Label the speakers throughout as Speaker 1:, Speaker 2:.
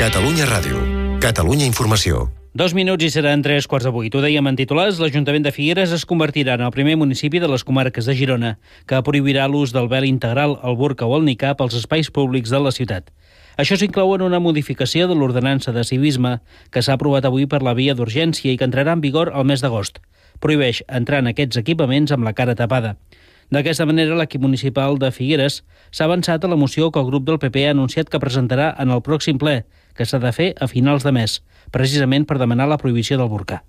Speaker 1: Catalunya Ràdio. Catalunya Informació.
Speaker 2: 2 minuts i seran 3:15. Ho dèiem en titulars, l'Ajuntament de Figueres es convertirà en el primer municipi de les comarques de Girona que prohibirà l'ús del vel integral, el burca o el nicab als espais públics de la ciutat. Això s'inclou en una modificació de l'ordenança de civisme que s'ha aprovat avui per la via d'urgència i que entrarà en vigor el mes d'agost. Prohibeix entrar en aquests equipaments amb la cara tapada. D'aquesta manera, l'equip municipal de Figueres s'ha avançat a la moció que el grup del PP ha anunciat que presentarà en el pròxim ple, que s'ha de fer a finals de mes, precisament per demanar la prohibició del burca.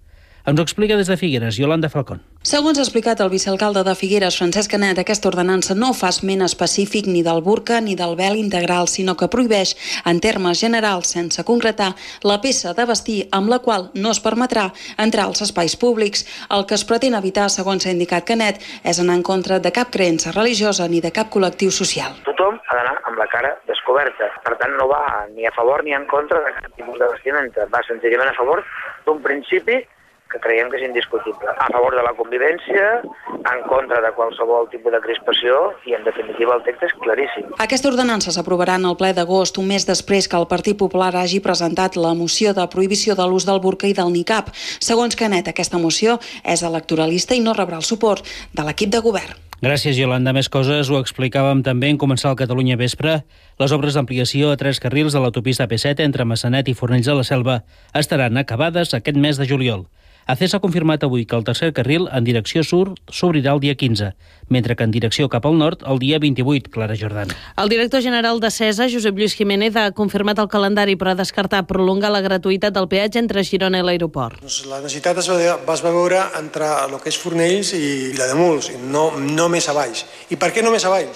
Speaker 2: Ens ho explica des de Figueres, Yolanda Falcón.
Speaker 3: Segons ha explicat el vicealcalde de Figueres, Francesc Canet, aquesta ordenança no fa esment específic ni del burca ni del vel integral, sinó que prohibeix, en termes generals, sense concretar, la peça de vestir amb la qual no es permetrà entrar als espais públics. El que es pretén evitar, segons ha indicat Canet, és anar en contra de cap creença religiosa ni de cap col·lectiu social.
Speaker 4: Tothom ha d'anar amb la cara descoberta. Per tant, no va ni a favor ni en contra de cap tipus de vestimenta. Va senzillament a favor d'un principi que creiem que és indiscutible. A favor de la convivència, en contra de qualsevol tipus de crispació i, en definitiva, el text és claríssim.
Speaker 3: Aquesta ordenança s'aprovarà en el ple d'agost, un mes després que el Partit Popular hagi presentat la moció de prohibició de l'ús del burca i del nicab. Segons Canet, aquesta moció és electoralista i no rebrà el suport de l'equip de govern.
Speaker 2: Gràcies, Yolanda. Més coses ho explicàvem també en començar el Catalunya Vespre. Les obres d'ampliació a 3 carrils de l'autopista AP7 entre Massanet i Fornells de la Selva estaran acabades aquest mes de juliol. ACES ha confirmat avui que el tercer carril en direcció sud s'obrirà el dia 15, mentre que en direcció cap al nord el dia 28, Clara Jordana.
Speaker 5: El director general d'ACESA, Josep Lluís Jiménez, ha confirmat el calendari però ha descartat prolongar la gratuïtat del peatge entre Girona i l'aeroport.
Speaker 6: La necessitat es va veure entre el que és Fornells i Vilademuls, no més avall. I per què no més avall?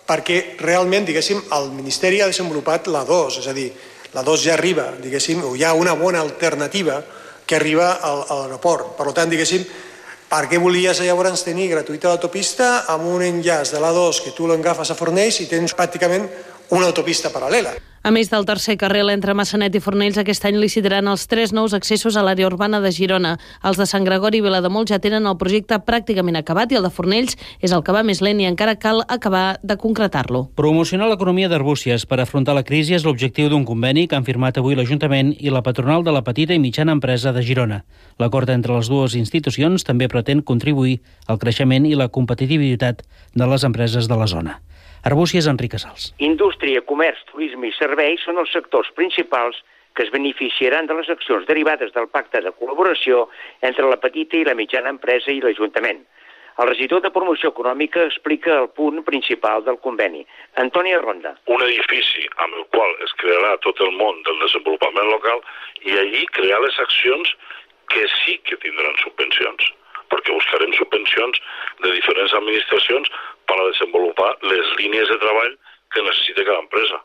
Speaker 6: Perquè realment, diguéssim, el Ministeri ha desenvolupat la 2, és a dir, la 2 ja arriba, diguéssim, o hi ha una bona alternativa que arriba a l'aeroport. Per tant, diguéssim, per què volies llavors tenir gratuïta l'autopista amb un enllaç de l'A2 que tu l'agafes a Fornells i tens pràcticament una autopista paral·lela?
Speaker 5: A més del tercer carril entre Massanet i Fornells, aquest any licitaran els 3 nous accessos a l'àrea urbana de Girona. Els de Sant Gregori i Vilademuls ja tenen el projecte pràcticament acabat i el de Fornells és el que va més lent i encara cal acabar de concretar-lo.
Speaker 2: Promocionar l'economia d'Arbúcies per afrontar la crisi és l'objectiu d'un conveni que han firmat avui l'Ajuntament i la patronal de la petita i mitjana empresa de Girona. L'acord entre les dues institucions també pretén contribuir al creixement i la competitivitat de les empreses de la zona. Arbúcies, Enric Casals.
Speaker 7: Indústria, comerç, turisme i serveis són els sectors principals que es beneficiaran de les accions derivades del pacte de col·laboració entre la petita i la mitjana empresa i l'Ajuntament. El regidor de Promoció Econòmica explica el punt principal del conveni. Antoni Ronda.
Speaker 8: Un edifici amb el qual es crearà tot el món del desenvolupament local i allí crear les accions que sí que tindran subvencions, perquè buscarem subvencions de diferents administracions per a desenvolupar les línies de treball que necessita cada empresa.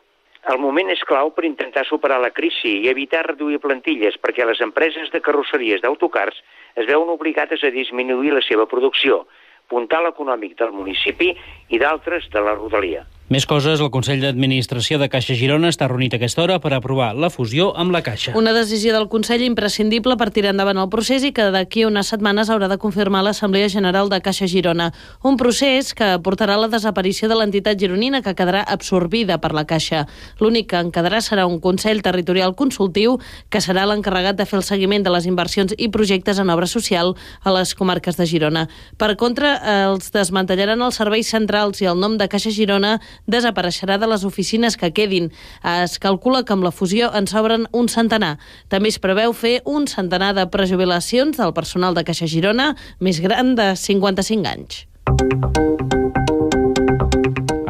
Speaker 7: El moment és clau per intentar superar la crisi i evitar reduir plantilles perquè les empreses de carrosseries d'autocars es veuen obligades a disminuir la seva producció, puntal econòmic del municipi i d'altres de la rodalia.
Speaker 2: Més coses, el Consell d'Administració de Caixa Girona està reunit a aquesta hora per aprovar la fusió amb la Caixa.
Speaker 5: Una decisió del Consell imprescindible per tirar endavant el procés i que d'aquí unes setmanes haurà de confirmar l'Assemblea General de Caixa Girona. Un procés que portarà a la desaparició de l'entitat gironina que quedarà absorbida per la Caixa. L'únic que en quedarà serà un Consell Territorial Consultiu que serà l'encarregat de fer el seguiment de les inversions i projectes en obra social a les comarques de Girona. Per contra, els desmantellaran els serveis centrals i el nom de Caixa Girona desapareixerà de les oficines que quedin. Es calcula que amb la fusió en s'obren un centenar. També es preveu fer un centenar de prejubilacions del personal de Caixa Girona més gran de 55 anys.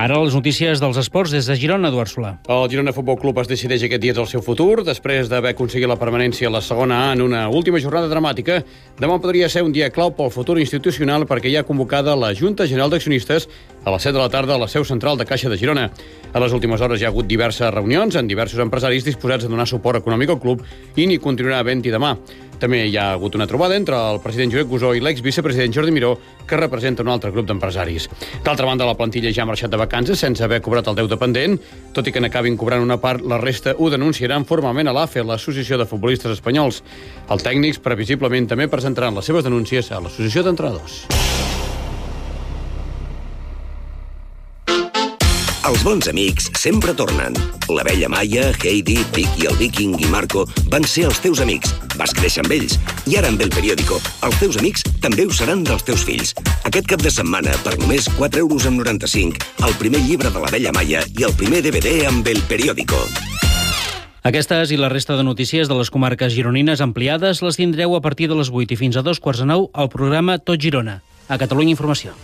Speaker 2: Ara les notícies dels esports des de Girona, Eduard Solà.
Speaker 9: El Girona Futbol Club es decideix aquest dia del seu futur. Després d'haver aconseguit la permanència a la segona A en una última jornada dramàtica, demà podria ser un dia clau pel futur institucional perquè hi ha convocada la Junta General d'Accionistes a les 7 de la tarda a la seu central de Caixa de Girona. A les últimes hores hi ha hagut diverses reunions amb diversos empresaris disposats a donar suport econòmic al club i n'hi continuarà havent-hi demà. També hi ha hagut una trobada entre el president Josep Gusó i l'exvicepresident Jordi Miró, que representa un altre grup d'empresaris. D'altra banda, la plantilla ja ha marxat de vacances sense haver cobrat el deute pendent. Tot i que n'acabin cobrant una part, la resta ho denunciaran formalment a l'AFE, l'Associació de Futbolistes Espanyols. Els tècnics previsiblement també presentaran les seves denúncies a l'Associació d'Entrenadors.
Speaker 10: Els bons amics sempre tornen. L'abella Maia, Heidi, Vicky, el Viking i Marco van ser els teus amics. Vas créixer amb ells. I ara amb El Periódico, els teus amics també ho seran dels teus fills. Aquest cap de setmana, per només 4,95 €, el primer llibre de l'abella Maia i el primer DVD amb El Periódico.
Speaker 2: Aquestes i la resta de notícies de les comarques gironines ampliades les tindreu a partir de les 8 i fins a 2:15 al programa Tot Girona. A Catalunya Informació.